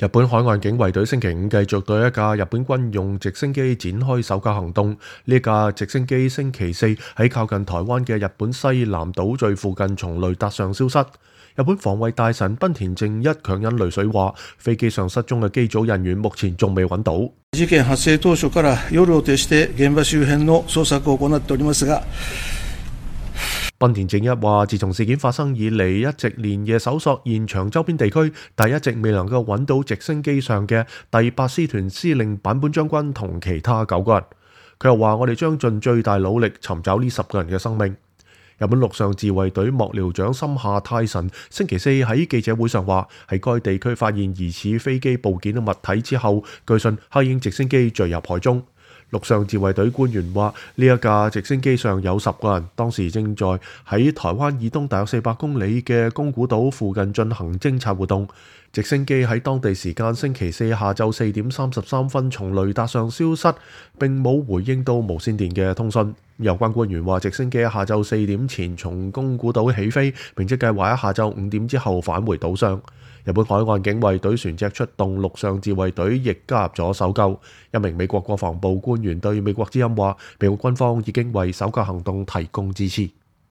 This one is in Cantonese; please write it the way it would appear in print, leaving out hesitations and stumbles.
日本海岸警衛隊星期五繼續對一架日本軍用直升機展開搜救行動。呢架直升機星期四喺靠近台灣嘅日本西南島嶼附近從雷達上消失。日本防衛大臣濱田正一強忍淚水話，飛機上失蹤嘅機組人員目前仲未揾到。事件発生當初から夜を徹して現場周辺の捜索を行っておりますが，濱田正一話，自從事件發生以嚟，一直連夜搜索現場周邊地區，但一直未能夠揾到直升機上嘅第8師團司令坂本將軍同其他9個人。佢又話：我哋將盡最大努力尋找呢10個人嘅生命。日本陸上自衛隊幕僚長森下泰臣星期四喺記者會上話，喺該地區發現疑似飛機部件嘅物體之後，據信黑鷹直升機墜入海中。陸上自衛隊官員話，呢一架直升機上有10個人，當時正在喺台灣以東大約400公里嘅宮古島附近進行偵察活動。直升機喺當地時間星期四下晝4點33分從雷達上消失，並冇回應到無線電嘅通訊。有關官員話，直升機喺下晝4點前從宮古島起飛，並即計劃喺下晝5點之後返回島上。日本海岸警衛隊船隻出動，陸上自衛隊亦加入咗搜救。一名美國國防部官員對美國之音話，美國軍方已經為搜救行動提供支持。